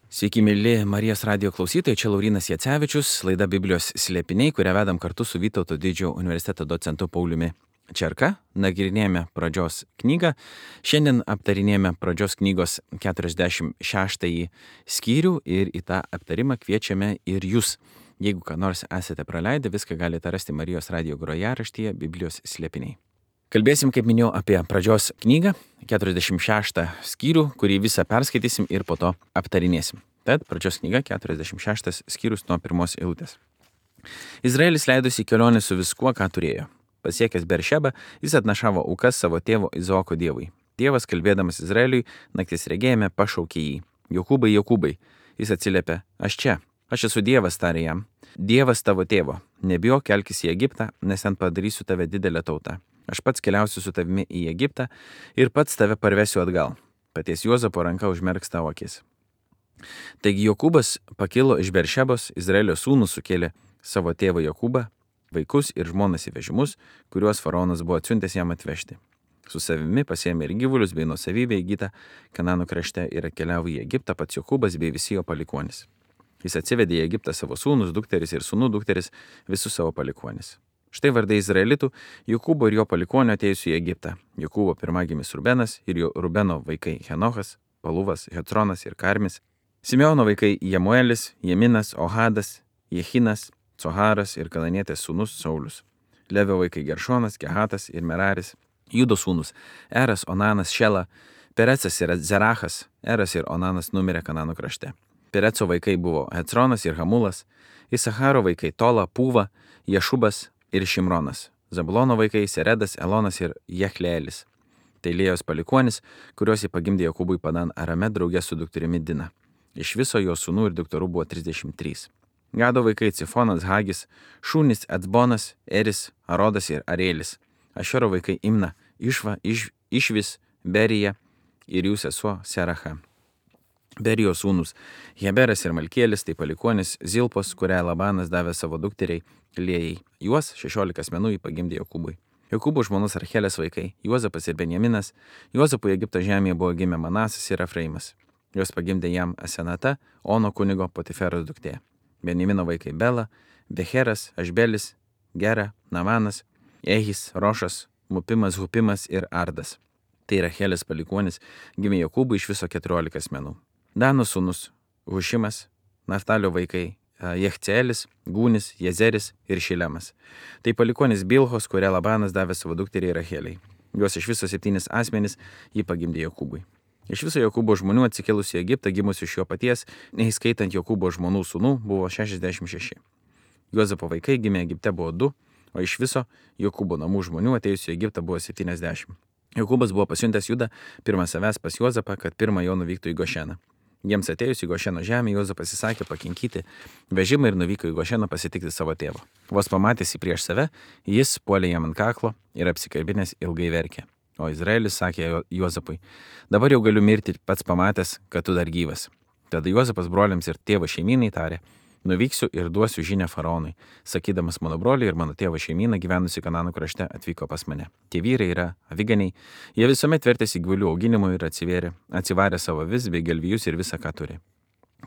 Sveiki, mėly Marijos radijo klausytojai, čia Laurynas Jacevičius, laida Biblijos slėpiniai, kurią vedam kartu su Vytauto didžiojo universiteto docentu Pauliumi Čerka. Nagrinėjame pradžios knygą. Šiandien aptarinėjame pradžios knygos 46 skyrių ir į tą aptarimą kviečiame ir jūs. Jeigu ką nors esate praleidę, viską galite rasti Marijos radijo grojaraštyje Biblijos slėpiniai. Kalbėsim, kaip minėjau, apie pradžios knygą, 46 skyrių, kurį visą perskaitysim ir po to aptarinėsim. Tad pradžios knyga, 46 skyrius nuo pirmos eilutės. Izraelis leidosi į kelionę su viskuo, ką turėjo. Pasiekęs Beršebą, jis atnašavo aukas savo tėvo Izaoko dievui. Dievas, kalbėdamas Izraeliui, nakties regėjime pašaukė jį. Jokūbai, Jokūbai. Jis atsiliepė, aš čia. Aš esu Dievas, tarė jam. Dievas tavo tėvo. Nebijok, kelkis į Egiptą, nes ten padarysiu tave didelę tautą. Aš pats keliausiu su tavimi į Egiptą ir pats tave parvesiu atgal. Paties Juozapo ranka užmerks tavo akis. Taigi Jokūbas pakilo iš Beršebos, Izraelio sūnus sukėlė savo tėvą Jokūbą, vaikus ir žmonas į vežimus, kuriuos faraonas buvo atsiuntęs jam atvežti. Su savimi pasiėmė ir gyvulius bei nuosavybę įgytą Kanano krašte ir atkeliavo į Egiptą pats Jokūbas bei visi jo palikuonys. Jis atsivedė į Egiptą savo sūnus, dukteris ir sūnų dukteris, visus savo palikuonys. Štai vardai Izraelitų, Jokūbo ir jo palikuonio atėjusių į Egiptą. Jokūbo pirmagimis Rubenas ir jo Rubeno vaikai Henochas, Paluvas, Hecronas ir Karmis. Simeono vaikai Jemuelis, Jeminas, Ohadas, Jehinas, Coharas ir Kananietės sūnus Saulius. Levio vaikai Geršonas, Kehatas ir Meraris. Judo sūnus Eras, Onanas, Šela, Perecas ir Zerachas. Eras ir Onanas numirė Kanano krašte. Pereco vaikai buvo Hecronas ir Hamulas. Isacharo vaikai Tola, Pūva, Ješubas ir Šimronas. Zabulono vaikai Seredas, Elonas ir Jechlėelis. Tai Lėjos palikuonis, kuriuos jį pagimdė Jokūbui Padan Arame draugė su dukterimi Dina. Iš viso jo sūnų ir dukterų buvo 33. Gado vaikai Cifonas, Hagis, Šūnis, Ecbonas, Eris, Arodas ir Arėlis. Ašero vaikai Imna, Išva, Išvis, Berija ir jų sesuo Seracha. Berijos sūnus Heberas ir Malkielis, tai palikuonis Zilpos, kurią Labanas davė savo dukteriai Lėjai. Juos 16 asmenų jį pagimdė Jokūbui. Jokūbo žmonos Rachelės vaikai Juozapas ir Benjaminas. Juozapui Egipto žemėje buvo gimę Manasas ir Efraimas. Juos pagimdė jam Asenata, Ono kunigo Potiferos duktė. Benjamino vaikai Bela, Becheras, Ašbelis, Gera, Namanas, Ehis, Rošas, Mupimas, Hupimas ir Ardas. Tai Rachelės palikuonis gimė Jokūbui iš viso 14 asmenų. Dano sūnus Hušimas, Naftalio vaikai Jechceelis, Gūnis, Jezeris ir Šilemas. Tai palikuonis Bilhos, kurią Labanas davė savo dukteriai Racheliai. Juos iš viso 7 asmenys jį pagimdė Jokūbui. Iš viso Jokūbo žmonių atsikėlusių į Egiptą gimusių iš jo paties, neįskaitant Jokūbo žmonų sūnų, buvo 66. Juozapo vaikai gimė Egipte buvo 2, o iš viso Jokūbo namų žmonių atėjusių į Egiptą buvo 70. Jokūbas buvo pasiuntęs Judą pirmą savęs pas Juozapą, kad pirmą jo nuvyktų į Gošeną. Jiems atėjus į Gošeno žemę, Juozapas įsakė pakinkyti vežimą ir nuvyko į Gošeną pasitikti savo tėvo. Vos pamatęs jį prieš save, jis puolė jam ant kaklo ir apsikabinęs ilgai verkė. O Izraelis sakė Juozapui, dabar jau galiu mirti pats pamatęs, kad tu dar gyvas. Tada Juozapas broliams ir tėvo šeimynai tarė, nuvyksiu ir duosiu žinią faraonui, sakydamas mano broliai ir mano tėvo šeimyna gyvenusi Kanano krašte atvyko pas mane. Tie vyrai yra aviganiai, jie visuomet vertėsi gyvulių auginimui ir atsivarė savo vis bei galvijus ir visą, ką turi.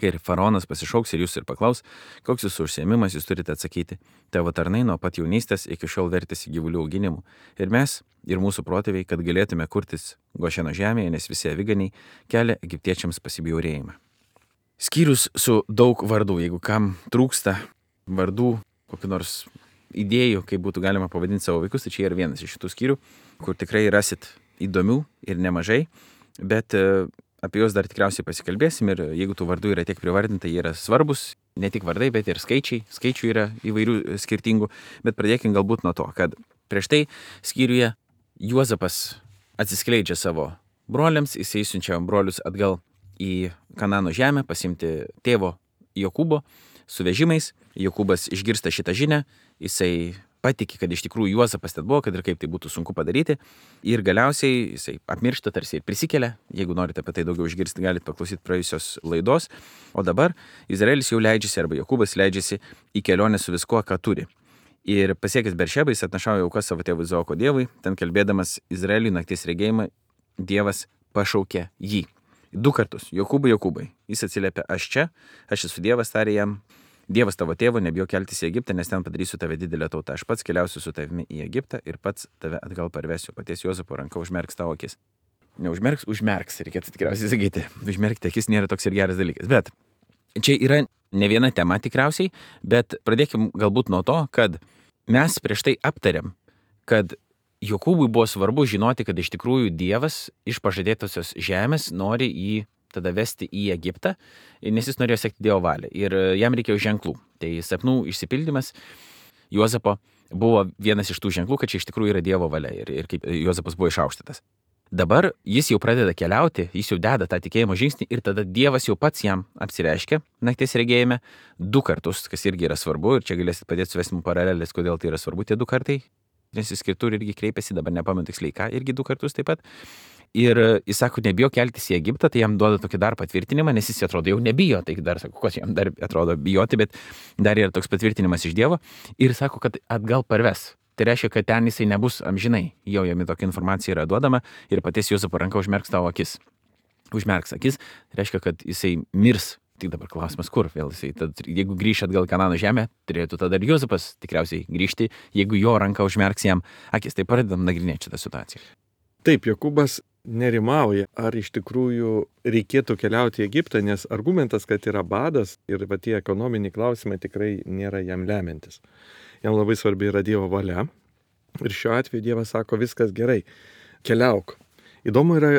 Kai faraonas pasišauks ir jūs ir paklaus, koks jūsų užsiėmimas, jūs turite atsakyti. Tavo tarnai nuo pat jaunystės iki šiol vertėsi gyvulių auginimu. Ir mes, ir mūsų protėviai, kad galėtume kurtis Gošeno žemėje, nes visi aviganiai kelia egiptiečiams pasibjaurėjimą. Skyrius su daug vardų, jeigu kam trūksta vardų, kokių nors idėjų, kaip būtų galima pavadinti savo vaikus, tai čia yra vienas iš šitų skyrių, kur tikrai rasit įdomių ir nemažai, bet apie juos dar tikriausiai pasikalbėsim ir jeigu tų vardų yra tiek privardinta, jie yra svarbus, ne tik vardai, bet ir skaičių yra įvairių skirtingų, bet pradėkim galbūt nuo to, kad prieš tai skyriuje Juozapas atsiskleidžia savo broliams, jisai siunčia brolius atgal į Kanano žemę pasimti tėvo Jokūbo su vežimais. Jokūbas išgirsta šitą žinią, jisai patiki, kad iš tikrųjų Juozapas ten buvo, kad ir kaip tai būtų sunku padaryti. Ir galiausiai jisai apmiršta tarsi ir prisikelia. Jeigu norite apie tai daugiau išgirsti, galite paklausyti praėjusios laidos. O dabar Izraelis jau leidžiasi, arba Jokūbas leidžiasi į kelionę su viskuo, ką turi. Ir pasiekęs Beršebą, jis atnašavo aukas savo tėvui Izaoko dievui. Ten kalbėdamas Izraeliui nakties regėjimą, Dievas pašaukė jį. 2 kartus. Jokūbai. Jis atsiliepia, aš čia, aš esu Dievas, tarė jam. Dievas tavo tėvo, nebijok keltis į Egiptą, nes ten padarysiu tave didelę tautą. Aš pats keliausiu su tavimi į Egiptą ir pats tave atgal parvesiu. Paties Juozapo ranka užmerks tavo akis. Užmerks, reikėtų tikriausiai sakyti. Užmerkti akis nėra toks ir geras dalykas. Bet čia yra ne viena tema tikriausiai, bet pradėkim galbūt nuo to, kad mes prieš tai aptariam, kad Jokūbui buvo svarbu žinoti, kad iš tikrųjų Dievas iš pažadėtosios žemės nori jį tada vesti į Egiptą, nes jis norėjo sekti Dievo valią ir jam reikėjo ženklų. Tai sapnų išsipildymas Juozapo buvo vienas iš tų ženklų, kad čia iš tikrųjų yra Dievo valia ir kaip Juozapas buvo išaukštytas. Dabar jis jau pradeda keliauti, jis jau deda tą tikėjimo žingsnį ir tada Dievas jau pats jam apsireiškia nakties regėjime 2 kartus, kas irgi yra svarbu ir čia galėsit padėti suvesti mums paralelės, kodėl tai yra svarbu tie 2 kartai. Nes jis kitur irgi kreipėsi, dabar nepamenu tiksliai ką, irgi 2 kartus taip pat. Ir jis sako, nebijo keltis į Egiptą, tai jam duoda tokį dar patvirtinimą, nes jis atrodo jau nebijo, tai dar sako, kas jam dar atrodo bijoti, bet dar yra toks patvirtinimas iš Dievo ir sako, kad atgal parves. Tai reiškia, kad ten jisai nebus amžinai, jau jam tokia informacija yra duodama ir paties Juozapo ranka užmerks tavo akis. Užmerks akis, reiškia, kad jisai mirs. Tik dabar klausimas, kur vėl jisai, tad, jeigu grįš atgal Kanano žemę, turėtų tada ir Juozapas tikriausiai grįžti, jeigu jo ranka užmerks jam akis. Tai pradedam nagrinėti šitą situaciją. Taip, Jokūbas nerimauja, ar iš tikrųjų reikėtų keliauti į Egiptą, nes argumentas, kad yra badas ir va tie ekonominiai klausimai tikrai nėra jam lemiantis. Jam labai svarbi yra Dievo valia ir šiuo atveju Dievas sako, viskas gerai, keliauk. Įdomu yra,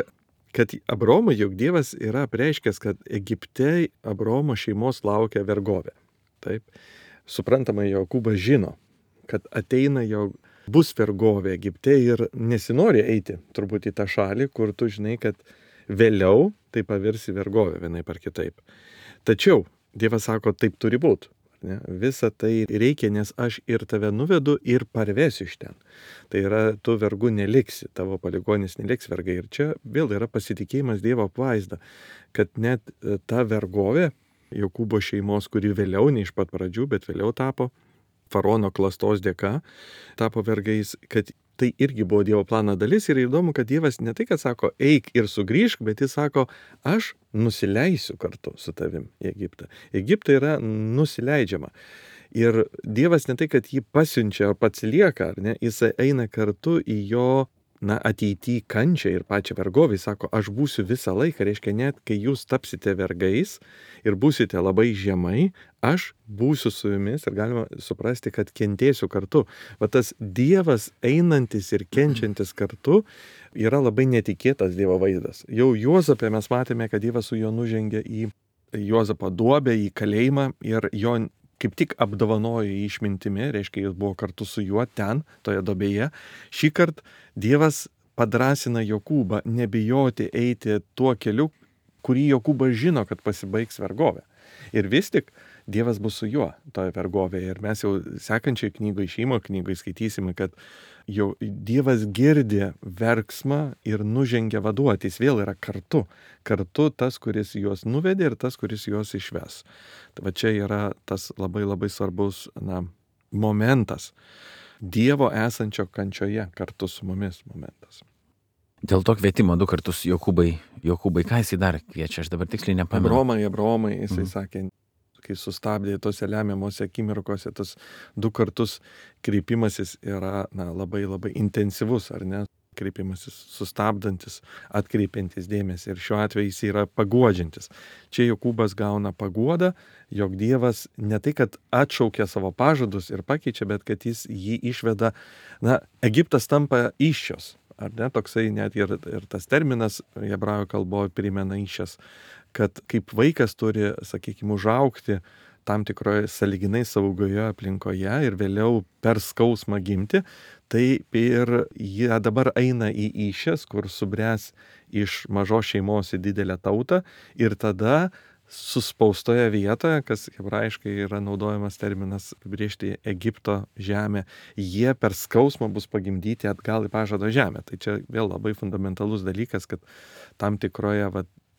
kad Abraomui, juk Dievas yra apreiškęs, kad Egipte Abraomo šeimos laukia vergovė. Taip, suprantama, Jokūbas žino, kad ateina jo bus vergovė Egipte ir nesinori eiti turbūt į tą šalį, kur tu žinai, kad vėliau tai pavirsi vergovė vienaip ar kitaip. Tačiau Dievas sako, taip turi būti. Visą tai reikia, nes aš ir tave nuvedu ir parvesiu iš ten. Tai yra, tu vergu neliksi, tavo palikuonis neliks vergai. Ir čia vėl yra pasitikėjimas Dievo apvaizda, kad net ta vergovė Jokūbo šeimos, kuri vėliau, ne iš pat pradžių, bet vėliau tapo faraono klastos dėka, tapo vergais, kad tai irgi buvo Dievo plano dalis ir įdomu, kad Dievas ne tai, kad sako, eik ir sugrįžk, bet jis sako, aš nusileisiu kartu su tavim į Egiptą. Egiptą yra nusileidžiama. Ir Dievas ne tai, kad jį pasiunčia, o pats lieka, ar ne, jis eina kartu į jo ateity kančią ir pačią vergovį, sako, aš būsiu visą laiką, reiškia net, kai jūs tapsite vergais ir būsite labai žemai, aš būsiu su jumis ir galima suprasti, kad kentėsiu kartu. Va tas Dievas einantis ir kenčiantis kartu yra labai netikėtas Dievo vaizdas. Jau Juozapė mes matėme, kad Dievas su juo nužengė į Juozapo duobę, į kalėjimą ir jo kaip tik apdovanojo išmintimi, reiškia, jis buvo kartu su juo ten, toje duobėje. Šįkart Dievas padrąsina Jokūbą nebijoti eiti tuo keliu, kurį Jokūbas žino, kad pasibaigs vergovė. Ir vis tik Dievas bus su juo toje vergovėje. Ir mes jau sekančiai knygoje, Išėjimo knygoje skaitysime, kad jau Dievas girdi verksmą ir nužengia vaduoti. Jis vėl yra kartu. Kartu tas, kuris juos nuvedė ir tas, kuris juos išves. Tai va čia yra tas labai labai svarbus momentas. Dievo esančio kančioje kartu su mumis momentas. Dėl to kvietimo 2 kartus Jokūbai, ką jisai dar kviečia, aš dabar tiksliai nepamenu. Abraomai, jisai sakė, kai sustabdė tose lemiamose akimirkose, tas 2 kartus kreipimasis yra labai labai intensyvus, ar ne? Kreipimasis sustabdantis, atkreipiantis dėmesį ir šiuo atveju jis yra paguodžiantis. Čia Jokūbas gauna paguodą, jog Dievas ne tai, kad atšaukia savo pažadus ir pakeičia, bet kad jis jį išveda, Egiptas tampa įsčios. Ar ne, toksai net ir tas terminas hebrajų kalboje primena įsčias, kad kaip vaikas turi, sakykime, užaugti tam tikroje sąlyginai saugioje aplinkoje ir vėliau per skausmą gimti, tai ir jie dabar eina į įsčias, kur subręs iš mažos šeimos į didelę tautą ir tada suspaustoje vietoje, kas hebrajiškai yra naudojamas terminas apibrėžti Egipto žemę, jie per skausmą bus pagimdyti atgal į pažado žemę. Tai čia vėl labai fundamentalus dalykas, kad tam tikroje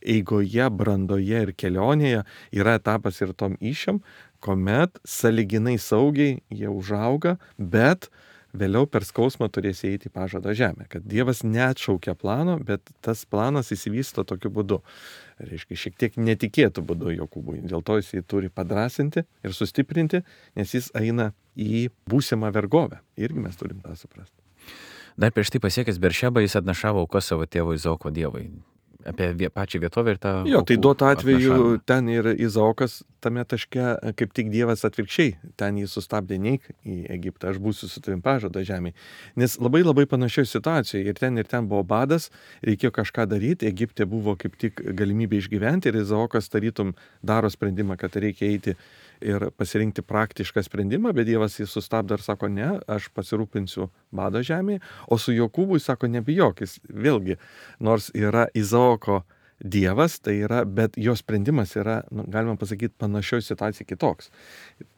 eigoje, brandoje ir kelionėje yra etapas ir tom įsčiom, kuomet sąlyginai saugiai jie užauga, bet vėliau per skausmą turės įeiti į pažado žemę. Kad Dievas neatšaukia plano, bet tas planas įsivysto tokiu būdu. reiškia, šiek tiek netikėtų būdu Jokūbui. Dėl to jis jį turi padrasinti ir sustiprinti, nes jis eina į būsimą vergovę. Irgi mes turim tą suprasti. Dar prieš tai pasiekęs Beršebą jis atnašavo aukas savo tėvo Izaoko dievui. Apie pačią vietovę ir tą... Jo, tai duotu atveju ten ir Izaokas tame taške, kaip tik Dievas atvirkščiai, ten jį sustabdė neik į Egiptą, aš būsiu su tavim pažado žemėje. Nes labai situacijoje ir ten buvo badas, reikėjo kažką daryti, Egipte buvo kaip tik galimybė išgyventi ir Izaokas tarytum daro sprendimą, kad reikia eiti ir pasirinkti praktišką sprendimą, bet Dievas jį sustabdo ir sako, ne, aš pasirūpinsiu bado žemėje, o su Jokūbui sako, nebijok, jis vėlgi, nors yra Izaoko Dievas, tai yra, bet jo sprendimas yra, galima pasakyti, panašioj situacijai kitoks.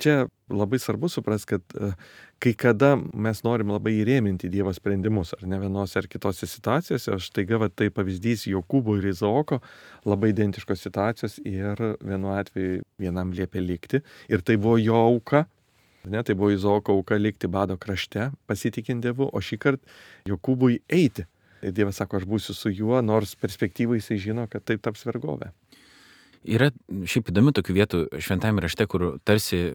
Čia labai svarbu suprasti, kad kai kada mes norim labai įrėminti Dievo sprendimus, ar ne vienose ar kitose situacijose, aš taiga, tai pavyzdys Jokūbo ir Izaoko, labai identiškos situacijos ir vienu atveju vienam liepė likti ir tai buvo jo auka. Ne, tai buvo Izaoko auka likti bado krašte, pasitikint Dievu, o šį kartą Jokūbui eiti. Ir Dievas sako, aš būsiu su juo, nors perspektyvai jisai žino, kad taip taps vergovė. Yra šiaip įdomių tokių vietų šventajame rašte, kur tarsi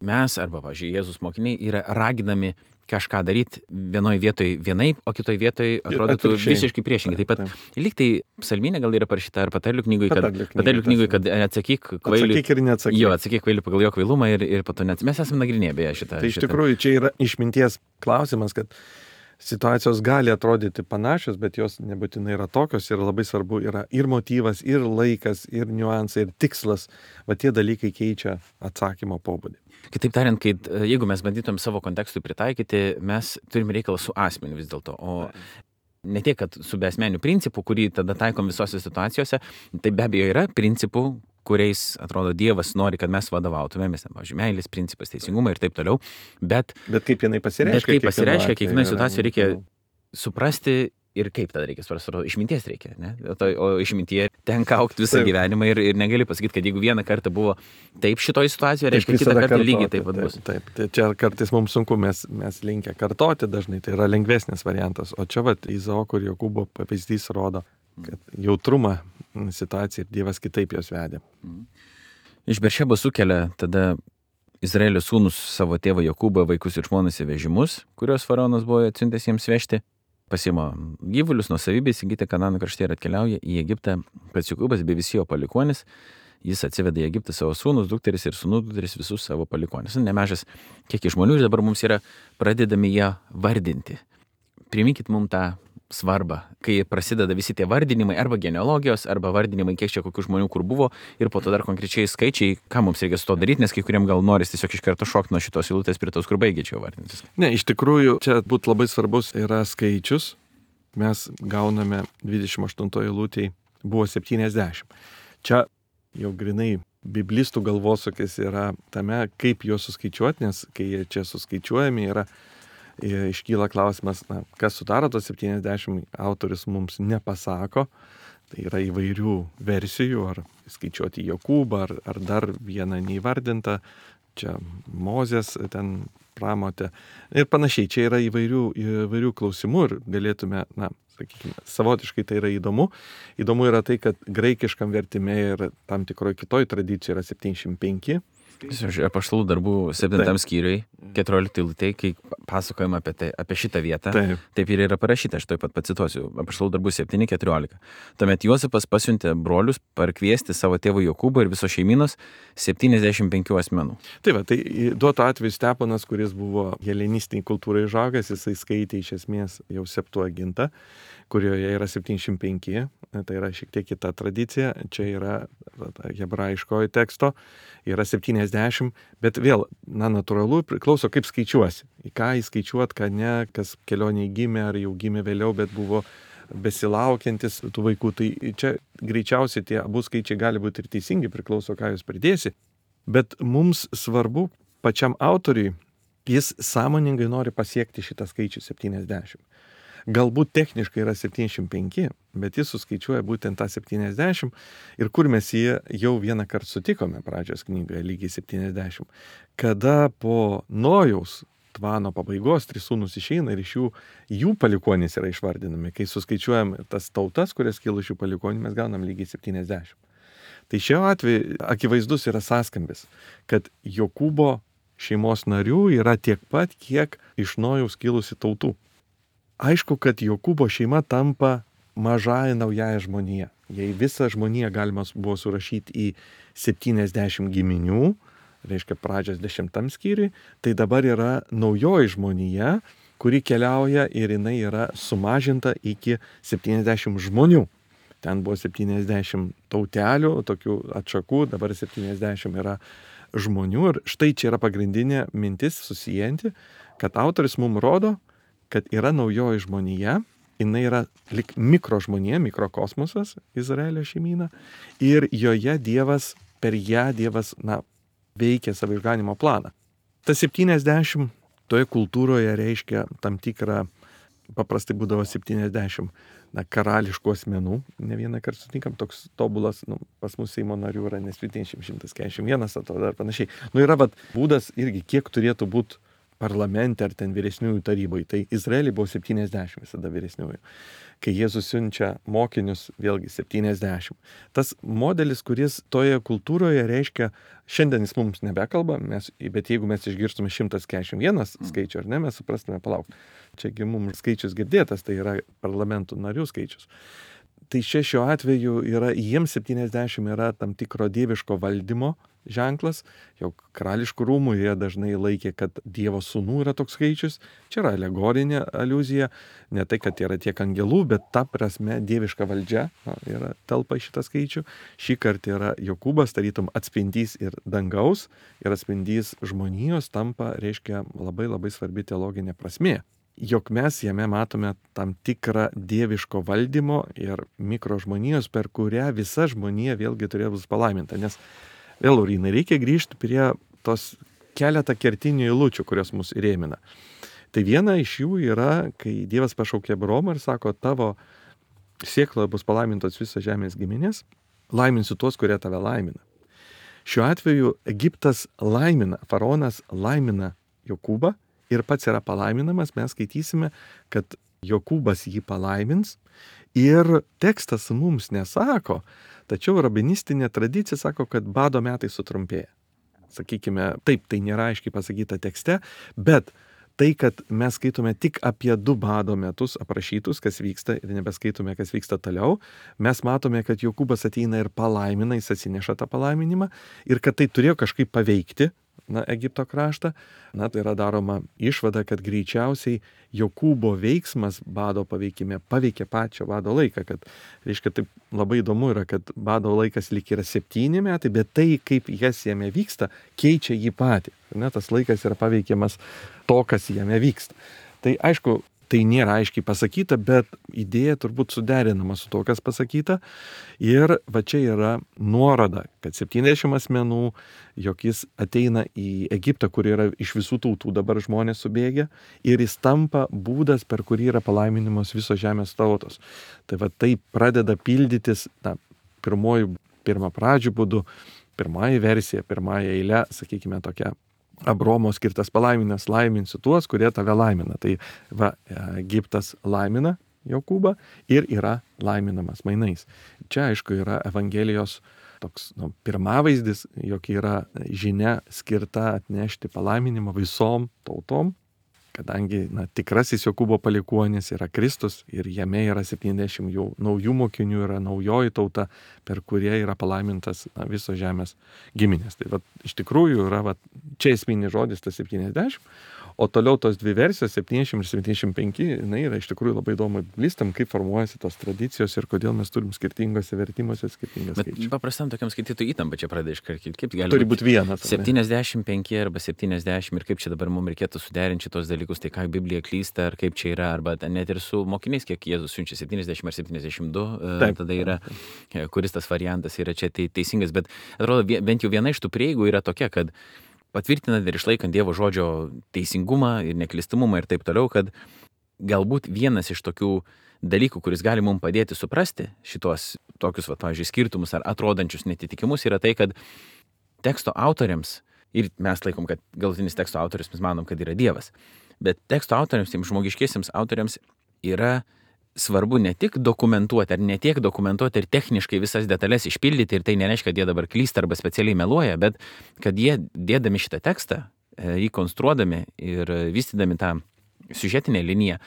mes, arba, pavyzdžiui, Jėzus mokiniai yra raginami kažką daryti vienoje vietoje vienaip, o kitoje vietoje atrodytų visiškai priešingai. Taip pat lyg tai psalminė gal yra parašyta, ar patarlių knygoje, kad atsakyk kvailiui. Atsakyk ir neatsakyk. Jo, atsakyk kvailiui pagal jo kvailumą ir po to net. Mes esame nagrinėję beje šitą. Tai iš tikrųjų čia yra išminties klausimas, kad situacijos gali atrodyti panašios, bet jos nebūtinai yra tokios ir labai svarbu yra ir motyvas, ir laikas, ir niuansai, ir tikslas. Va tie dalykai keičia atsakymo pobūdį. Kitaip tariant, jeigu mes bandytum savo kontekstui pritaikyti, mes turime reikalą su asmeniu vis dėlto, o ne tiek, kad su beasmeniu principu, kurį tada taikom visose situacijose, tai be abejo yra principų, kuriais, atrodo, Dievas nori, kad mes vadovautumėmės, pavyzdžiui, meilės principas, teisingumą ir taip toliau, bet kaip jinai pasireiškia? Bet kaip pasireiškia, kiekvienoje situacijoje reikia suprasti ir kaip tada reikia suprasti, išminties reikia, ne? O išmintie tenka aukti visą gyvenimą ir negali pasakyti, kad jeigu vieną kartą buvo taip šitoje situacijoje, reiškia kitą kartą lygiai taip pat bus. Taip, tai čia kartais mums sunku, mes linkę kartoti dažnai, tai yra lengvesnis variantas, o čia Izaoko ir Jokūbo pavyzdys rodo, kad jautrumą situaciją ir Dievas kitaip jos vedė. Iš Beršebos sukelia tada Izraelio sūnus savo tėvą Jokūbą, vaikus ir žmonas į vežimus, kuriuos faraonas buvo atsiuntęs jiems vežti, pasima gyvulius nuosavybę įsigyti Kanano krašte ir atkeliauja į Egiptą, pats Jokūbas bei visi jo palikuonis. Jis atsiveda į Egiptą savo sūnus, dukteris ir sūnų dukteris, visus savo palikuonis. Nemažas kiekis žmonių ir dabar mums yra pradedami ją vardinti. Priminkit mums tą svarbą, kai prasideda visi tie vardinimai, arba genealogijos, arba vardinimai, kiek čia kokių žmonių kur buvo, ir po to dar konkrečiai skaičiai, ką mums reikia su to daryti, nes kai kuriem gal noris tiesiog iš karto šokti nuo šitos eilutės prie tos, kur baigė čia vardintis. Ne, iš tikrųjų, čia būtų labai svarbus yra skaičius. Mes gauname 28 eilutėj, buvo 70. Čia jau grinai biblistų galvosūkis yra tame, kaip juos suskaičiuoti, nes kai jie čia suskaičiuojami yra, iškyla klausimas, kas sudaro tos 70, autorius mums nepasako, tai yra įvairių versijų, ar skaičiuoti Jokūbą, ar dar vieną neįvardintą, čia Mozės ten pramotė ir panašiai, čia yra įvairių klausimų ir galėtume, sakykime, savotiškai tai yra įdomu. Įdomu yra tai, kad graikiškam vertime ir tam tikroje kitoje tradicijoje yra 75. Apaštalų darbų 7 skyriui, 14 eilutėj, kai pasakojama apie šitą vietą, taip ir yra parašyta, aš taip pat pacituosiu, Apaštalų darbų 7:14. Tuomet Juozapas pasiuntė brolius parkviesti savo tėvų Jokūbą ir viso šeiminos 75 asmenų. Tai duoto atveju Steponas, kuris buvo helenistiniai kultūrai žagas, jisai skaitė iš esmės jau Septuagintą, kurioje yra 75, tai yra šiek tiek kita tradicija, čia yra hebrajiškojo teksto, yra 70, bet vėl, natūralu, priklauso kaip skaičiuosi, į ką įskaičiuot, ką ne, kas kelioniai gimė ar jau gimė vėliau, bet buvo besilaukiantis tų vaikų, tai čia greičiausiai tie abu skaičiai gali būti ir teisingi, priklauso, ką jūs pridėsi, bet mums svarbu pačiam autoriui, jis sąmoningai nori pasiekti šitą skaičių 70. Galbūt techniškai yra 75, bet jis suskaičiuoja būtent tą 70 ir kur mes jį jau vieną kartą sutikome pradžios knygoje, lygiai 70. Kada po Nojaus tvano pabaigos 3 sūnus išeina ir iš jų palikuonys yra išvardinami. Kai suskaičiuojam tas tautas, kurias kilo iš jų palikonių, mes gaunam lygiai 70. Tai šiuo atveju akivaizdus yra sąskambis, kad Jokūbo šeimos narių yra tiek pat, kiek iš Nojaus kilusi tautų. Aišku, kad Jokūbo šeima tampa mažąją naująją žmoniją. Jei visą žmoniją galima buvo surašyti į 70 giminių, reiškia pradžios 10 skyriui, tai dabar yra naujoji žmonija, kuri keliauja ir jinai yra sumažinta iki 70 žmonių. Ten buvo 70 tautelių, tokių atšakų, dabar 70 yra žmonių. Ir štai čia yra pagrindinė mintis susijanti, kad autoris mums rodo, kad yra naujoji žmonija, jinai yra lik mikrožmonija, mikrokosmosas, Izraelio šeimyna, ir joje Dievas, per ją Dievas, veikia savo išganimo planą. Tas 70 toje kultūroje reiškia tam tikrą, paprastai būdavo 70 karališkų asmenų, ne vieną kartą sutinkam, toks tobulas, pas mus Seimo narių yra nesvitinšim 141, atrodo ar panašiai. Yra būdas irgi, kiek turėtų būti parlamente ar ten vyresniųjų tarybai. Tai Izraelį buvo 70 visada vyresniųjų. Kai Jėzus siunčia mokinius, vėlgi 70. Tas modelis, kuris toje kultūroje reiškia, šiandien jis mums nebekalba, bet jeigu mes išgirstume 141 skaičių, ar ne, mes suprastume, palauk. Čiagi mums skaičius girdėtas, tai yra parlamentų narių skaičius. Tai šiuo atveju jiems 70 yra tam tikro dieviško valdymo ženklas, jau karališkų rūmų jie dažnai laikė, kad Dievo sūnų yra toks skaičius. Čia yra alegorinė aliuzija, ne tai, kad yra tiek angelų, bet ta prasme dieviška valdžia yra telpa į šitą skaičių. Šį kartą yra Jokūbas, tarytum atspindys ir dangaus, ir atspindys žmonijos tampa, reiškia, labai labai svarbi teologinė prasmė. Jog mes jame matome tam tikrą dieviško valdymo ir mikrožmonijos, per kurią visa žmonija vėlgi turėjo bus palaiminta. Nes vėl, Laurynai, reikia grįžti prie tos keletą kertinių eilučių, kurios mus įrėmina. Tai viena iš jų yra, kai Dievas pašaukė Abraomą ir sako, tavo sėkloje bus palaimintos visos žemės giminės, laiminsiu tuos, kurie tave laimina. Šiuo atveju Egiptas laimina, faraonas laimina Jokūbą ir pats yra palaiminamas, mes skaitysime, kad Jokūbas jį palaimins ir tekstas mums nesako, tačiau rabinistinė tradicija sako, kad bado metai sutrumpėja. Sakykime, taip, tai nėra aiškiai pasakyta tekste, bet tai, kad mes skaitome tik apie 2 bado metus aprašytus, kas vyksta ir nebeskaitome, kas vyksta toliau, mes matome, kad Jokūbas ateina ir palaimina, jis atsineša tą palaiminimą ir kad tai turėjo kažkaip paveikti Egipto kraštą. Tai yra daroma išvada, kad greičiausiai Jokūbo veiksmas bado paveikime paveikė pačio bado laiką, kad, reiškia, taip labai įdomu yra, kad bado laikas lyg yra 7 metai, bet tai, kaip jas jame vyksta, keičia jį patį. Tas laikas yra paveikiamas to, kas jame vyksta. Tai aišku, tai nėra aiškiai pasakyta, bet idėja turbūt suderinama su to, kas pasakyta. Ir čia yra nuoroda, kad 70 asmenų, jog jis ateina į Egiptą, kur yra iš visų tautų dabar žmonės subėgę, ir jis tampa būdas, per kurį yra palaiminimos visos žemės tautos. Tai pradeda pildytis pirmapradžių būdu, pirmąją versiją, pirmąją eilę, sakykime, tokia Abraomo skirtas palaiminas, laiminsiu tuos, kurie tave laimina. Tai Egiptas laimina Jokūbą ir yra laiminamas mainais. Čia, aišku, yra Evangelijos toks pirmavaizdis, jog yra žinia skirta atnešti palaiminimą visom tautom, kadangi tikrasis Jokūbo palikuonis yra Kristus ir jame yra 70 jau naujų mokinių, yra naujoji tauta, per kurie yra palaimintas visos žemės giminės. Tai iš tikrųjų yra čia esminis žodis tas 70, o toliau tos 2 versijos, 70 ir 75, yra iš tikrųjų labai įdomu biblistam, kaip formuojasi tos tradicijos ir kodėl mes turim skirtingose vertimuose skirtingas skaičius. Bet paprastam tokiam skaitytojui įtampa čia pradeda iškarkyti. Kaip gali turi būti vienas. 75 arba 70 ir kaip čia dabar mums reikėtų suderinti šitos dalykus, tai ką Biblija klysta, ar kaip čia yra, arba net ir su mokiniais, kiek Jėzus siunčia 70 ar 72, tada yra, kuris tas variantas yra čia teisingas, bet atrodo, bent jau viena iš tų prieigų yra tokia, kad patvirtinant ir išlaikant Dievo žodžio teisingumą ir neklistumumą ir taip toliau, kad galbūt vienas iš tokių dalykų, kuris gali mums padėti suprasti šitos tokius, pavyzdžiui, skirtumus ar atrodančius netitikimus, yra tai, kad teksto autoriams, ir mes laikom, kad galutinis teksto autorius, mes manom, kad yra Dievas, bet teksto autoriams, tiems žmogiškiesiems autoriams yra svarbu ne tik dokumentuoti, ar ne tiek dokumentuoti ir techniškai visas detalės išpildyti, ir tai nereiškia, kad jie dabar klysta arba specialiai meluoja, bet kad jie dėdami šitą tekstą, jį konstruodami ir vystydami tą siužetinę liniją,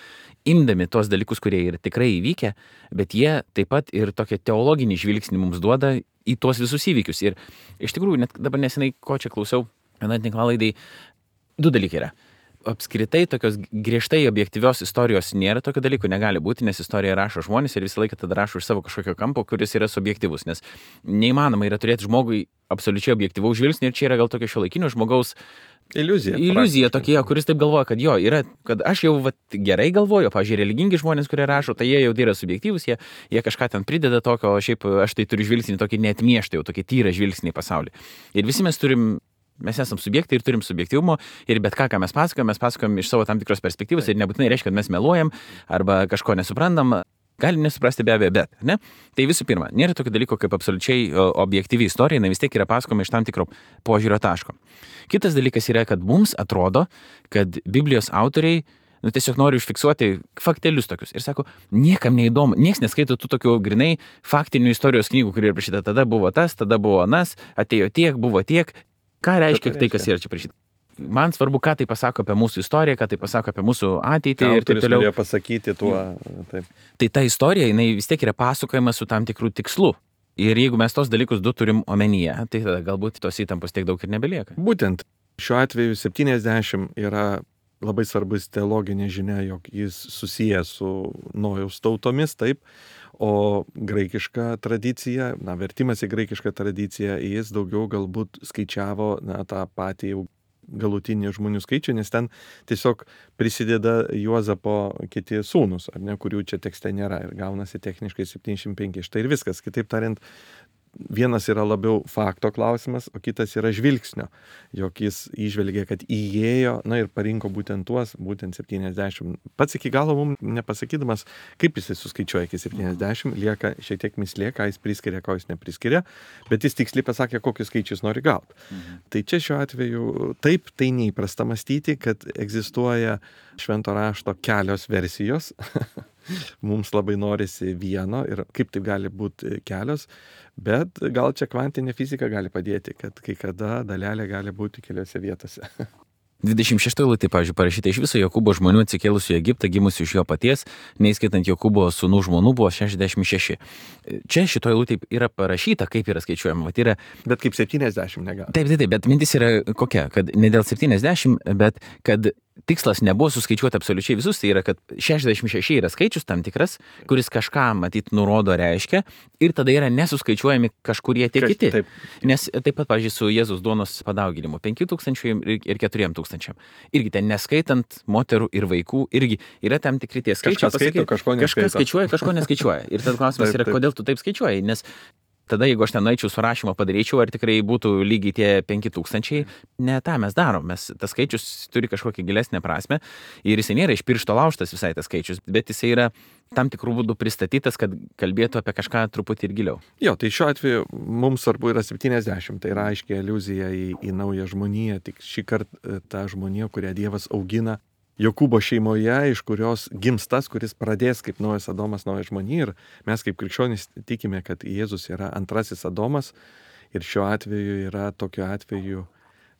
imdami tos dalykus, kurie yra tikrai įvykę, bet jie taip pat ir tokią teologinį žvilgsnį mums duoda į tuos visus įvykius. Ir iš tikrųjų, net dabar nesenai, ko čia klausiau, vieną tinklalaidai, 2 dalykai yra. Apskritai tokios griežtai objektyvios istorijos nėra, tokio dalyko negali būti, nes istoriją rašo žmonės ir visą laiką tada rašo iš savo kažkokio kampo, kuris yra subjektyvus, nes neįmanoma yra turėti žmogui absoliučiai objektyvaus žvilgsnį ir čia yra gal tokio šiuolaikinio žmogaus iliuzija tokia, kuris taip galvoja, kad jo, yra, kad aš jau gerai galvoju, pavyzdžiui, religingi žmonės, kurie rašo, tai jie jau yra subjektyvūs, jie kažką ten prideda tokio, o šiaip aš tai turiu žvilgsnį tokį neatmieštą, jau tokį tyrą žvilgsnį į pasaulį. Ir visi mes esam subjektai ir turim subjektyvumo ir bet ką mes pasakojam iš savo tam tikros perspektyvos ir nebūtinai reiškia, kad mes meluojam arba kažko nesuprantam. Gali nesuprasti be abejo, bet, ne? Tai visų pirma, nėra tokio dalyko kaip absoliučiai objektyvi istorija, jinai vis tiek yra pasakoma iš tam tikro požiūrio taško. Kitas dalykas yra, kad mums atrodo, kad Biblijos autoriai tiesiog nori užfiksuoti faktelius tokius. Ir sako, niekam neįdomu, nieks neskaito tų tokių grinai faktinių istorijos knygų, kurie yra prašyta, tada buvo tas, tada buvo anas, atėjo tiek, buvo tiek. Ką reiškia tai, kas yra čia prašyta? Man svarbu, ką tai pasako apie mūsų istoriją, ką tai pasako apie mūsų ateitį ir taip toliau. Norėjo pasakyti tuo. Taip. Tai ta istorija, jinai vis tiek yra pasakojama su tam tikrų tikslu. Ir jeigu mes tos dalykus 2 turim omenyje, tai tada galbūt tos įtampos tiek daug ir nebelieka. Būtent šiuo atveju 70 yra labai svarbus teologinė žinia, jog jis susijęs su Nojaus tautomis, taip, o graikiška tradicija, vertimas į graikišką tradiciją, jis daugiau galbūt skaičiavo tą patį jau galutinį žmonių skaičių, nes ten tiesiog prisideda Juozapo kiti sūnus, ar ne, kurių čia tekste nėra ir gaunasi techniškai 75. Štai ir viskas. Kitaip tariant, vienas yra labiau fakto klausimas, o kitas yra žvilgsnio, jog jis įžvelgė, kad įėjo, ir parinko būtent tuos, būtent 70. Pats iki galo mums nepasakydamas, kaip jis suskaičiuoja iki 70, lieka šiek tiek mislė, ką jis priskiria, ko jis nepriskiria, bet jis tiksliai pasakė, kokius skaičius nori gauti. Tai čia šiuo atveju taip, tai neįprasta mąstyti, kad egzistuoja švento rašto kelios versijos. Mums labai norisi vieno ir kaip tai gali būti kelios, bet gal čia kvantinė fizika gali padėti, kad kai kada dalelė gali būti keliose vietose. 26 eilutė, pavyzdžiui, parašyta iš viso Jokūbo žmonių atsikėlusių į Egiptą, gimusių iš jo paties, neįskaitant Jokūbo sūnų žmonų, buvo 66. Čia šitoje eilutė yra parašyta, kaip yra skaičiuojama. Bet kaip 70 negali. Taip, bet mintis yra kokia, kad ne dėl 70, bet kad tikslas nebuvo suskaičiuoti absoliučiai visus, tai yra, kad 66 yra skaičius tam tikras, kuris kažką, matyt, nurodo reiškia ir tada yra nesuskaičiuojami kažkurie tie kiti. Taip. Nes taip pat, pavyzdžiui, su Jėzus duonos padauginimu 5000 ir 4000. Irgi ten neskaitant moterų ir vaikų, irgi yra tam tikri tie skaičiai. Kažkas skaičiuoja, kažko neskaičiuoja. Ir tada klausimas yra, kodėl tu taip skaičiuoji, nes tada, jeigu aš ten eičiau su rašymo padaryčiau, ar tikrai būtų lygiai tie 5000, ne tą mes darom. Tas skaičius turi kažkokią gilesnę prasme ir jisai nėra iš piršto laužtas visai tas skaičius, bet jisai yra tam tikrų būdų pristatytas, kad kalbėtų apie kažką truputį ir giliau. Jo, tai šiuo atveju mums svarbu yra 70, tai yra aiškiai aliuzija į naują žmoniją, tik šį kartą tą žmoniją, kurią Dievas augina Jokūbo šeimoje, iš kurios gims tas, kuris pradės kaip naujas Adomas, nauja žmonija. Ir mes kaip krikščionys tikime, kad Jėzus yra antrasis Adomas ir šiuo atveju yra tokiu atveju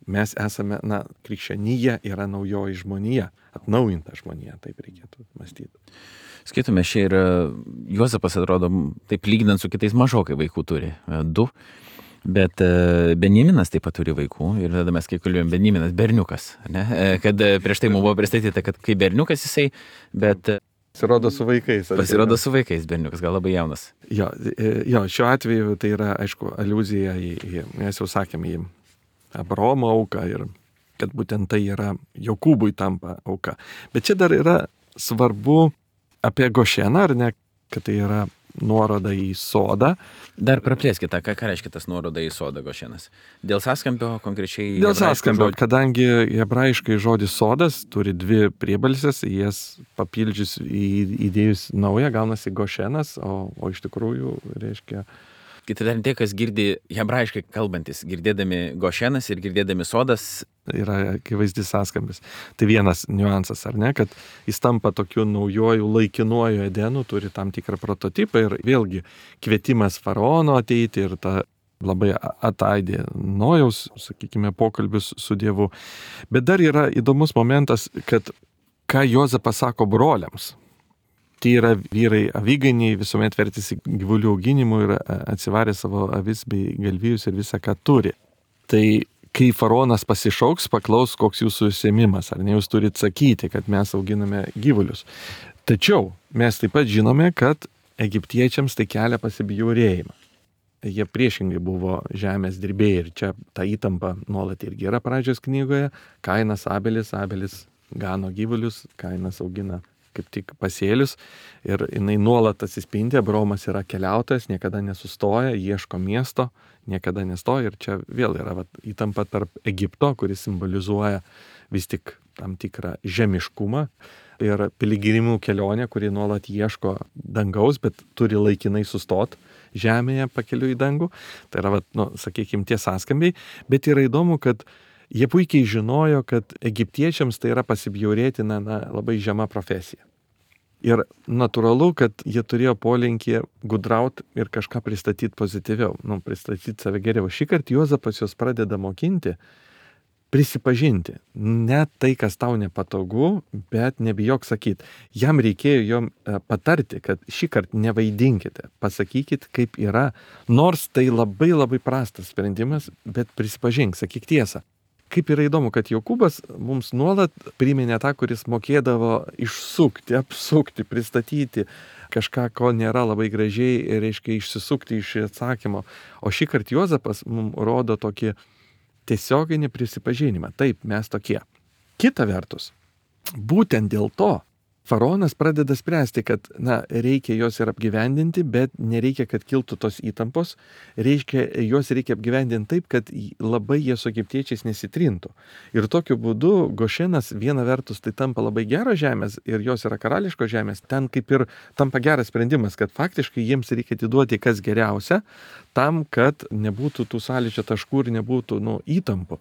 mes esame, krikščionija yra naujoji žmonija, atnaujinta žmonija, taip reikėtų mąstyti. Skaitome, čia ir Juozapas atrodo, taip lyginant su kitais mažokai vaikų turi, 2. Bet Benjaminas taip pat turi vaikų ir tada mes, kai kalbėjom, Benjaminas berniukas, ne? Kad prieš tai mums buvo pristatyta, kad kai berniukas jisai, bet Pasirodo su vaikais. Pasirodo su vaikais berniukas, gal labai jaunas. Jo, šiuo atveju tai yra, aišku, aliuzija mes jau sakėme, į Abraomo auką ir kad būtent tai yra Jokūbui tampa auka. Bet čia dar yra svarbu apie Gošeną, ar ne, kad tai yra nuoroda į sodą. Dar praplėskite, ką reiškia tas nuoroda į sodą Gošenas? Dėl sąskambio konkrečiai? Dėl sąskambio, kadangi hebrajiškai žodis sodas turi 2 priebalsės, jas papildžius įdėjus naują gaunasi Gošenas, o iš tikrųjų reiškia Kitaip tariant, tie, kas girdi hebrajiškai kalbantis, girdėdami Gošenas ir girdėdami sodas. Yra akivaizdis sąskambis. Tai vienas niuansas, ar ne, kad jis tampa tokiu naujoju laikinuoju Edenu, turi tam tikrą prototipą ir vėlgi kvietimas faraono ateiti ir ta labai ataidė Nojaus, sakykime, pokalbius su Dievu. Bet dar yra įdomus momentas, kad ką Juozapas sako broliams. Tai yra vyrai aviganiai, visuomet vertėsi gyvulių auginimu ir atsivarė savo avis bei galvijus ir visą, ką turi. Tai kai faraonas pasišauks, paklaus, koks jūsų užsiėmimas, ar ne jūs turite sakyti, kad mes auginame gyvulius. Tačiau mes taip pat žinome, kad egiptiečiams tai kelia pasibjaurėjimą. Jie priešingai buvo žemės dirbėjai ir čia ta įtampa nuolat irgi yra pradžios knygoje. Kainas Abelis gano gyvulius, Kainas augina kaip tik pasėlius ir jinai nuolat atsispindi, Abraomas yra keliautojas, niekada nesustoja, ieško miesto, niekada nestoja ir čia vėl yra įtampa tarp Egipto, kuris simbolizuoja vis tik tam tikrą žemiškumą ir piligrimų kelionę, kuri nuolat ieško dangaus, bet turi laikinai sustoti žemėje pakeliu į dangų. Tai yra, sakykime, tie sąskambiai, bet yra įdomu, kad jie puikiai žinojo, kad egiptiečiams tai yra pasibjaurėtina labai žema profesija. Ir natūralu, kad jie turėjo polinkį gudrauti ir kažką pristatyti pozityviau, pristatyti save geriau. Šį kartą Juozapas juos pradeda mokinti, prisipažinti. Ne tai, kas tau nepatogu, bet nebijok sakyti. Jam reikėjo jom patarti, kad šį kartą nevaidinkite, pasakykit, kaip yra. Nors tai labai labai prastas sprendimas, bet prisipažink, sakyk tiesą. Kaip yra įdomu, kad Jokūbas mums nuolat priminė tą, kuris mokėdavo išsukti, apsukti, pristatyti kažką, ko nėra labai gražiai ir, reiškia, išsisukti iš atsakymo. O šį kartą Juozapas mums rodo tokį tiesioginį prisipažinimą. Taip, mes tokie. Kita vertus, būtent dėl to faraonas pradeda spręsti, kad reikia juos ir apgyvendinti, bet nereikia, kad kiltų tos įtampos. Juos reikia apgyvendinti taip, kad labai jie su egiptiečiais nesitrintų. Ir tokiu būdu Gošenas viena vertus tai tampa labai geros žemės ir jos yra karališkos žemės. Ten kaip ir tampa geras sprendimas, kad faktiškai jiems reikia atiduoti kas geriausia, tam, kad nebūtų tų sąlyčio taškų ir nebūtų įtampų.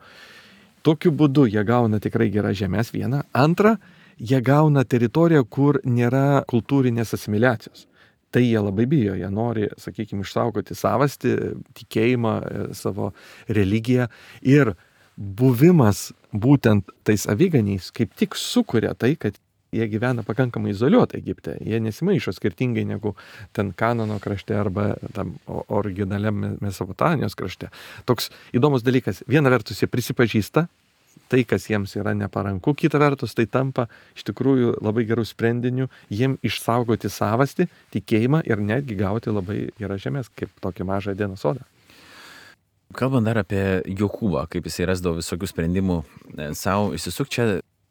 Tokiu būdu jie gauna tikrai geras žemės vieną. Antra, jie gauna teritoriją, kur nėra kultūrinės asimiliacijos. Tai jie labai bijo, jie nori, sakykime, išsaugoti savastį, tikėjimą, savo religiją. Ir buvimas būtent tais aviganiais kaip tik sukuria tai, kad jie gyvena pakankamai izoliuotai Egipte. Jie nesimaišo skirtingai negu ten Kanano krašte arba tam originaliam Mesopotamijos krašte. Toks įdomus dalykas. Viena vertus jie prisipažįsta tai, kas jiems yra neparanku, kita vertus tai tampa iš tikrųjų labai gerų sprendinių jiem išsaugoti savastį, tikėjimą ir netgi gauti labai geras žemės, kaip tokį mažą Edeno sodą. Kalbant dar apie Jokūbą, kaip jisai rasdavo visokių sprendimų savo išsisukti, čia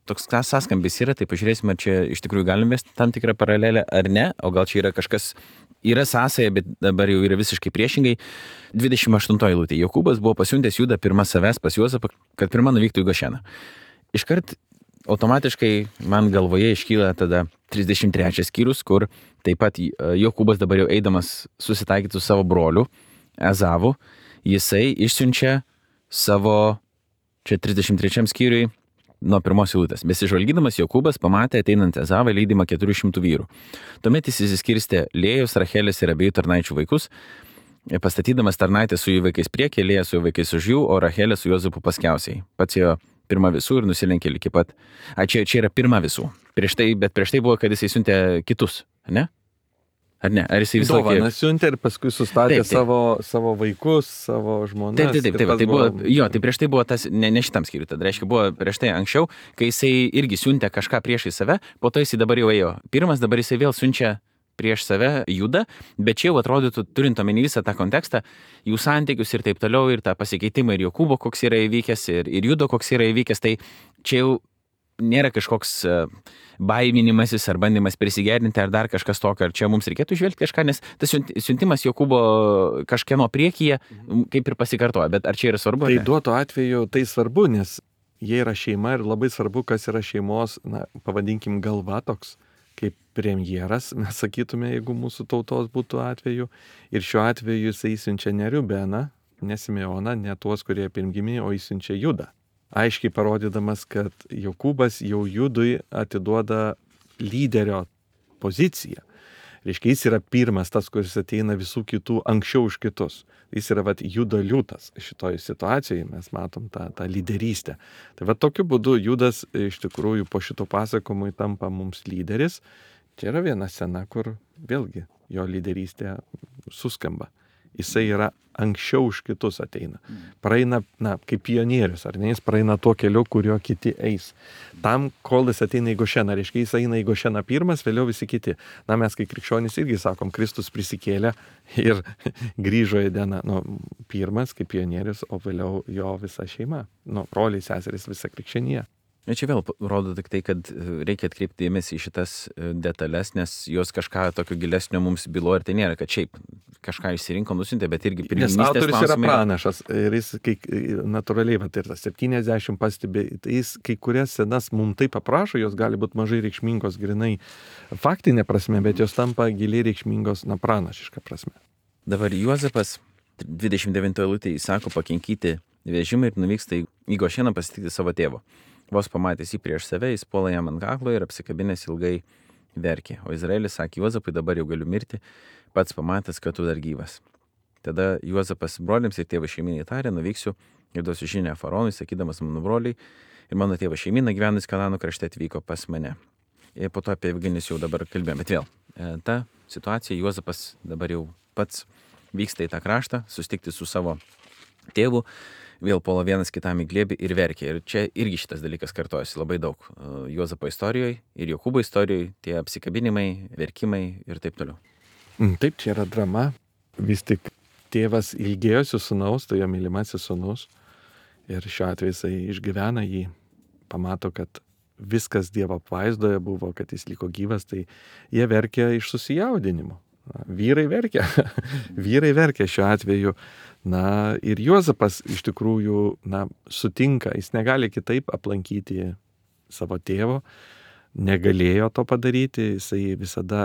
toks sąskambis yra, tai pažiūrėsime, ar čia iš tikrųjų galime vesti tam tikrą paralelę ar ne, o gal čia yra kažkas, yra sąsaja, bet dabar jau yra visiškai priešingai. 28 eilutė. Jokūbas buvo pasiuntęs Judą pirmą savęs pas Juozapą, kad pirmą nuvyktų į Gošeną. Iškart automatiškai man galvoje iškyla tada 33 skyrius, kur taip pat Jokūbas dabar jau eidamas susitaikyti su savo broliu Ezavu, jisai išsiunčia savo, čia 33 skyriui, nuo pirmos eilutės. Besižvalgydamas Jokūbas pamatė ateinant Ezavą lydimą 400 vyrų. Tuomet jis įsiskirstė Lėjos, Rachelės ir abiejų tarnaičių vaikus, pastatydamas tarnaitę su jų vaikais priekį, Lėja su jų vaikais už jų, o Rachelė su Juozapu paskiausiai. Pats jo pirma visų ir nusilenkė iki pat. Čia yra pirma visų. Prieš tai buvo, kad jisai siuntė kitus, ne? Ar ne? Ar jisai visą laiką... Dovaną siuntė ir paskui sustatė savo vaikus, savo žmonas. Taip. Tai prieš tai buvo tas, ne šitam skyriui, tada reiškia buvo prieš tai anksčiau, kai jisai irgi siuntė kažką priešai save, po to jisai dabar jau ėjo. Pirmas, dabar jisai vėl siunčia prieš save Judą, bet čia jau atrodytų, turint omeny visą tą kontekstą, jų santykius ir taip toliau, ir tą pasikeitimą, ir Jokūbo koks yra įvykęs, ir Judo koks yra įvykęs, tai čia jau nėra kažkoks baiminimasis ar bandymas prisigerinti ar dar kažkas tokio, ar čia mums reikėtų žvelgti kažką, nes tas siuntimas Jokūbo kažkieno priekyje kaip ir pasikartoja, bet ar čia yra svarbu? Tai duoto atveju tai svarbu, nes jie yra šeima ir labai svarbu, kas yra šeimos, pavadinkim galva toks, kaip premjeras, mes sakytume, jeigu mūsų tautos būtų atveju. Ir šiuo atveju jisai siunčia ne Rubeną, ne Simeoną, ne tuos, kurie pirmgimi, o jis siunčia Judą. Aiškiai parodydamas, kad Jokūbas jau Judui atiduoda lyderio poziciją. Reiškia, jis yra pirmas tas, kuris ateina visų kitų anksčiau už kitus. Jis yra Judo liūtas. Šitoje situacijoje mes matom tą lyderystę. Tai tokiu būdu Judas iš tikrųjų po šito pasakojimui tampa mums lyderis. Čia yra viena scena, kur vėlgi jo lyderystė suskamba. Jisai yra anksčiau už kitus ateina. Praeina, kaip pionierius, ar ne, jis praeina tuo keliu, kurio kiti eis. Tam, kol jis ateina į Gošeną, reiškia, jis eina į Gošeną pirmas, vėliau visi kiti. Mes, kai krikščionys, irgi sakom, Kristus prisikėlė ir grįžo į dieną, pirmas kaip pionierius, o vėliau jo visa šeima, broliai, seserys, visa krikščionija. Ir čia vėl rodo tik tai, kad reikia atkreipti dėmesį į šitas detalės, nes jos kažką tokio gilesnio mums byloja ir tai nėra, kad šiaip kažką išsirinko, nusintė, bet irgi pirmininkystės klausimai. Nes autorius yra pranašas ir jis natūraliai, ir tas 70 pastebė, tai jis kai kurias scenas mums taip aprašo, jos gali būti mažai reikšmingos grinai faktinė prasme, bet jos tampa giliai reikšmingos pranašiška prasme. Dabar Juozapas 29 eilutėje įsako pakinkyti vežimą ir nuvyksta į Gošeną pasitikti savo tėvo. Vos pamatęs jį prieš save, jis puola jam ant kaklo ir apsikabinęs ilgai verkė. O Izraelis sakė, Juozapai, dabar jau galiu mirti, pats pamatęs, kad tu dar gyvas. Tada Juozapas broliams ir tėvo šeimynai tarė, nuvyksiu ir duosiu žinią faraonui, sakydamas, mano broliai ir mano tėvo šeimyna gyvenus Kanano krašte atvyko pas mane. Ir po to apie Evgenijus jau dabar kalbėjome, bet vėl, ta situacija, Juozapas dabar jau pats vyksta į tą kraštą, susitikti su savo tėvu, vėl puola vienas kitam į glėbį ir verkia. Ir čia irgi šitas dalykas kartojasi labai daug. Juozapo istorijoje ir Jokūbo istorijoje tie apsikabinimai, verkimai ir taip toliau. Taip, čia yra drama. Vis tik tėvas ilgėjosi sūnaus, tai jo mylimasis sūnus. Ir šiuo atveju jisai išgyvena jį, pamato, kad viskas Dievo apvaizdoje buvo, kad jis liko gyvas, tai jie verkia iš susijaudinimo. Vyrai verkia šiuo atveju. Ir Juozapas iš tikrųjų, sutinka, jis negali kitaip aplankyti savo tėvo, negalėjo to padaryti, jisai visada,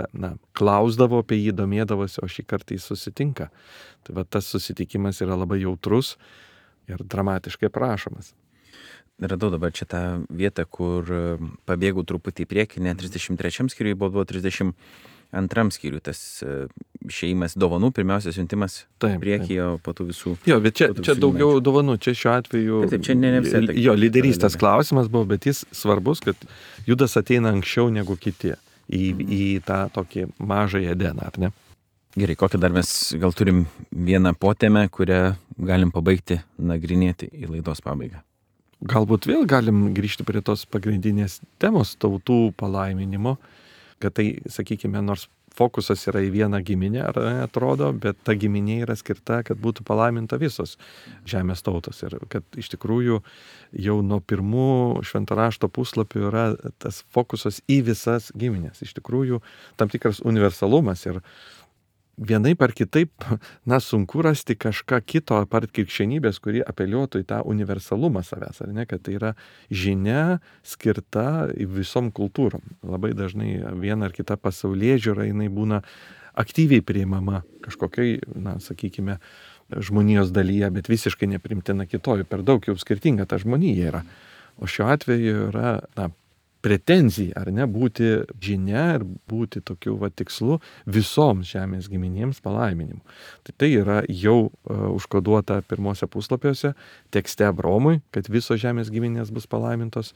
klausdavo apie jį, domėdavosi, o šį kartą jis susitinka. Tai tas susitikimas yra labai jautrus ir dramatiškai prašomas. Radau dabar čia tą vietą, kur pabėgau truputį į priekį, ne 33 skyriui, buvo 32 skyriui, tas išėjimas dovanų, pirmiausia siuntimas priekyje, o po tų visų. Jo, bet čia daugiau dovanų, čia šiuo atveju taip, čia ne visai. Jo, lyderystės klausimas buvo, bet jis svarbus, kad Judas ateina anksčiau negu kiti į tą tokį mažą Edeną, ar ne? Gerai, kokią dar mes gal turim vieną potėmę, kurią galim pabaigti nagrinėti į laidos pabaigą. Galbūt vėl galim grįžti prie tos pagrindinės temos tautų palaiminimo, kad tai, sakykime, nors fokusas yra į vieną giminę, ar atrodo, bet ta giminė yra skirta, kad būtų palaiminta visos žemės tautos. Ir kad iš tikrųjų jau nuo pirmų švento rašto puslapių yra tas fokusas į visas giminės. Iš tikrųjų tam tikras universalumas ir vienaip ar kitaip, sunku rasti kažką kito apart krikščionybės, kuri apeliuotų į tą universalumą savęs, ar ne, kad tai yra žinia skirta visom kultūrom. Labai dažnai viena ar kita pasaulėžiūra, jinai būna aktyviai priimama kažkokiai, sakykime, žmonijos dalyje, bet visiškai neprimtina kitoj, per daug jau skirtinga ta žmonija yra. O šiuo atveju yra, pretenzija, ar ne, būti žinia ir būti tokiu tikslu visoms žemės giminėms palaiminimu. Tai yra jau užkoduota pirmose puslapiuose tekste Abraomui, kad visos žemės giminės bus palaimintos.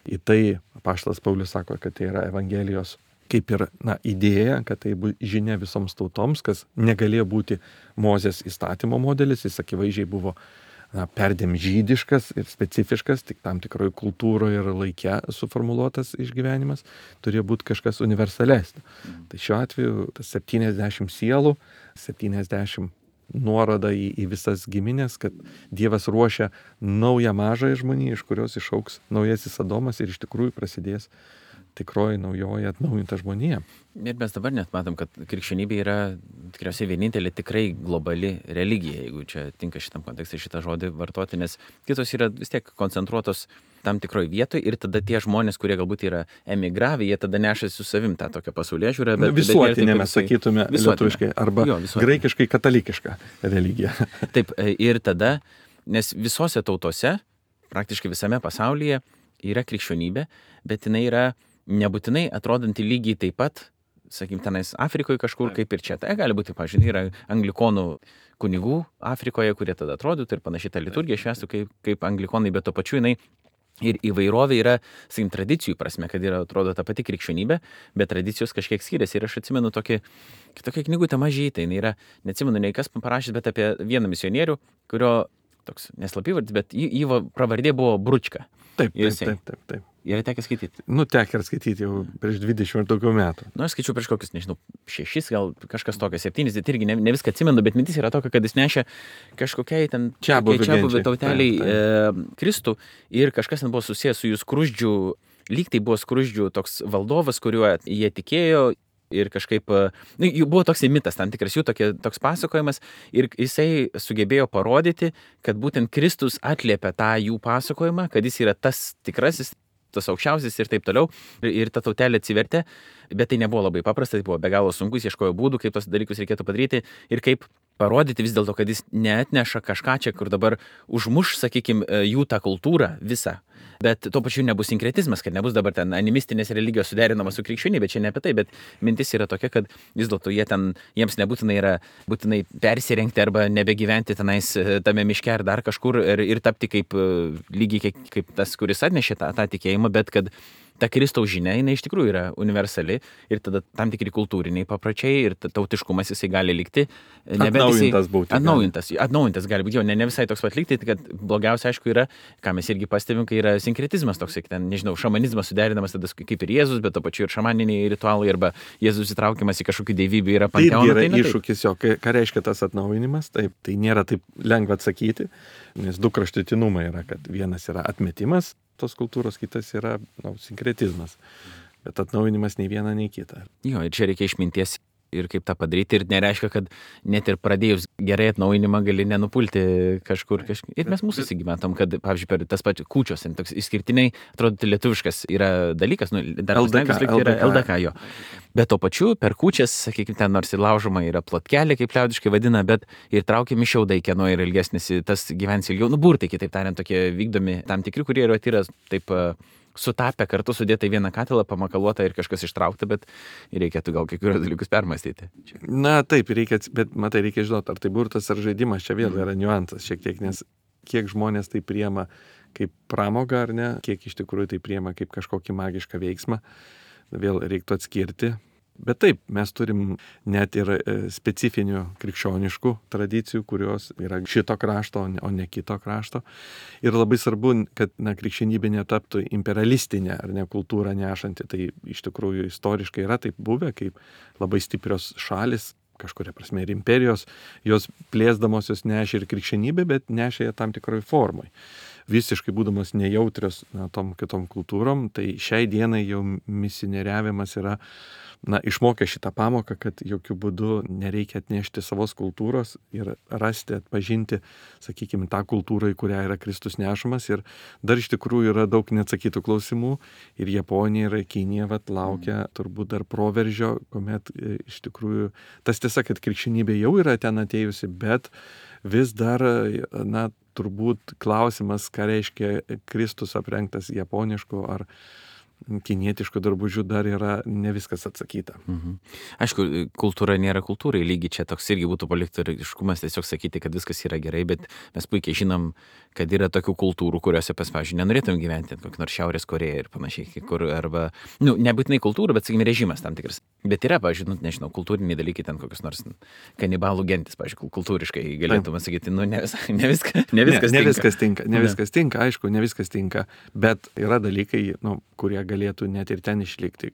Į tai apaštalas Paulius sako, kad tai yra Evangelijos kaip ir idėja, kad tai bus žinia visoms tautoms, kas negalėjo būti Mozės įstatymo modelis, jis akivaizdžiai buvo perdėm žydiškas ir specifiškas, tik tam tikroje kultūroje ir laike suformuluotas išgyvenimas, turėjo būti kažkas universalesnio. Tai šiuo atveju tas 70 sielų, 70 nuoroda į visas giminės, kad Dievas ruošia naują mažąją žmoniją, iš kurios išaugs naujasis Adomas ir iš tikrųjų prasidės tikroji naujoji atnaujinta žmonija. Ir mes dabar net matom, kad krikščionybė yra tikriausiai vienintelė tikrai globali religija, jeigu čia tinka šitam kontekste šitą žodį vartoti, nes kitos yra vis tiek koncentruotos tam tikroje vietoje ir tada tie žmonės, kurie galbūt yra emigravę, jie tada nešasi su savim tą tokią pasaulėžiūrą. Visuotinė mes sakytume lietuviškai arba graikiškai katalikiška religija. Taip, ir tada, nes visose tautose, praktiškai visame pasaulyje yra krikščionybė, bet jinai yra nebūtinai atrodanti lygiai taip pat, sakykim, tenais Afrikoje kažkur kaip ir čia. Tai gali būti, pavyzdžiui, yra anglikonų kunigų Afrikoje, kurie tada atrodytų ir panašiai tą liturgiją švęstų kaip anglikonai, bet to pačiu jinai ir įvairovė yra, sakykim, tradicijų prasme, kad yra, atrodo, ta pati krikščionybė, bet tradicijos kažkiek skiriasi. Ir aš atsimenu tokia knygutė mažytė, jinai yra, neatsimenu nei kas parašęs, bet apie vieną misionierių, kurio toks neslapyvardis, bet jį pravardė buvo Bručka. Taip. Yra tekę skaityti? Tekę skaityti jau prieš 20 ir daugiau metų. Aš skaičiau prieš kokius, 6, gal kažkas tokio, 7, tai irgi ne viską atsimenu, bet mintis yra tokia, kad jis nešė kažkokiai ten čiabuvių tauteliai Kristų ir kažkas ten buvo susijęs su jų skruzdžių, lyg tai buvo skruzdžių toks valdovas, kuriuo jie tikėjo. Ir kažkaip, jų buvo toks mitas, tam tikras jų toks pasakojimas ir jisai sugebėjo parodyti, kad būtent Kristus atliepia tą jų pasakojimą, kad jis yra tas tikrasis, tas aukščiausias ir taip toliau. Ir ta tautelė atsivertė, bet tai nebuvo labai paprasta, tai buvo be galo sunkus, ieškojo būdų, kaip tos dalykus reikėtų padaryti ir kaip parodyti vis dėlto, kad jis neatneša kažką čia, kur dabar užmuš, sakykime, jų tą kultūrą visą. Bet tuo pačiu nebus sinkretizmas, kad nebus dabar ten animistinės religijos suderinamas su krikščionybė, čia ne apie tai, bet mintis yra tokia, kad vis dėlto jiems nebūtinai yra būtinai persirengti arba nebegyventi tenais tame miške ar dar kažkur ir tapti kaip lygiai kaip tas, kuris atnešė tą tikėjimą, bet kad ta Kristaus žinia, jinai iš tikrųjų yra universali ir tada tam tikri kultūriniai papročiai ir tautiškumas jisai gali likti. Atnaujintas būti. Atnaujintas gali būti, ne visai toks pat likti, kad blogiausia, aišku, yra, ką mes irgi pastebim, kai yra sinkretizmas toks, ten, nežinau, šamanizmas suderinamas tada kaip ir Jėzus, bet to pačiu ir šamaniniai ritualai arba Jėzus įtraukiamas į kažkokį dievybę yra panteoną. Tai yra iššūkis jo, ką reiškia tas atnaujinimas, taip, tai nėra taip lengva atsakyti, nes du kraštutinumai yra, kad vienas yra atmetimas tos kultūros, kitas yra sinkretizmas. Bet atnaujinimas nei viena, nei kita. Jo, ir čia reikia išminties ir kaip tą padaryti. Ir nereiškia, kad net ir pradėjus gerai atnaujinimą gali nenupulti kažkur. Ir mes mūsų įsigyventom, kad, pavyzdžiui, per tas pačias kūčios, toks išskirtiniai, atrodo, lietuviškas yra dalykas, dar LDK jo. Bet to pačiu per kūčias, sakykime, ten nors ir laužoma yra plotkelė, kaip liaudiškai vadina, bet ir traukiami šiaudai, kieno yra ilgesnis, tas gyvens ilgiau. Burtai, kitaip tariant, tokie vykdomi tam tikri, kurie yra taip sutapę kartu sudėta į vieną katilą, pamakaluota ir kažkas ištraukta, bet reikėtų gal kai kurios dalykus permastyti. Na taip, bet matai, reikia žinoti, ar tai burtas ar žaidimas, čia vėl yra niuansas šiek tiek, nes kiek žmonės tai priema kaip pramogą ar ne, kiek iš tikrųjų tai priema kaip kažkokį magišką veiksmą, vėl reiktų atskirti. Bet taip, mes turim net ir specifinių krikščioniškų tradicijų, kurios yra šito krašto, o ne kito krašto. Ir labai svarbu, kad krikščionybė netaptų imperialistinė ar ne kultūrą nešanti. Tai iš tikrųjų istoriškai yra taip buvę, kaip labai stiprios šalis, kažkuria prasme ir imperijos, jos plėsdamosios nešė ir krikščionybę, bet nešė ją tam tikroj formai. Visiškai būdamos nejautrios tom kitom kultūrom, tai šiai dienai jau misioneriavimas yra išmokę šitą pamoką, kad jokių būdų nereikia atnešti savos kultūros ir rasti, atpažinti, sakykime, tą kultūrą, į kurią yra Kristus nešamas. Ir dar iš tikrųjų yra daug neatsakytų klausimų. Ir Japonija ir Kinija laukia turbūt dar proveržio, kuomet iš tikrųjų tas tiesa, kad krikščionybė jau yra ten atėjusi, bet vis dar, turbūt klausimas, ką reiškia Kristus aprengtas japonišku ar kinietiškų drabužių, dar yra ne viskas atsakyta. Aišku, kultūra nėra kultūrai, lygiai čia toks irgi būtų poliktariškumas tiesiog sakyti, kad viskas yra gerai, bet mes puikiai žinom, kad yra tokių kultūrų, kuriuose, pavyzdžiui, nenorėtum gyventi, kokį nors Šiaurės Koreją ir panašiai, kur arba, nebūtinai kultūra, bet, sakykime, režimas tam tikras. Bet yra, pavyzdžiui, nežinau, kultūriniai dalykai, ten kokios nors kanibalų gentis, pavyzdžiui, kultūriškai galėtume sakyti, ne viskas tinka, aišku, ne viskas tinka, bet yra dalykai, kurie galėtų net ir ten išlikti.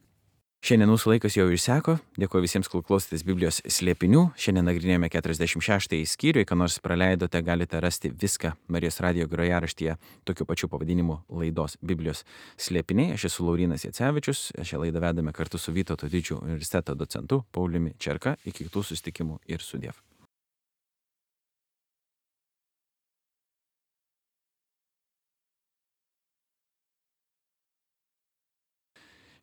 Šiandien mūsų laikas jau išseko. Dėkuoju visiems, kol klausėtės Biblijos slėpinių. Šiandien nagrinėjome 46 skyrių. Ką nors praleidote, galite rasti viską Marijos radijo grojaraštyje tokiu pačiu pavadinimu laidos Biblijos slėpiniai. Aš esu Laurynas Jacevičius. Šią laidą vedame kartu su Vytauto Didžiojo universiteto docentu Pauliumi Čerka. Iki kitų susitikimų ir sudiev.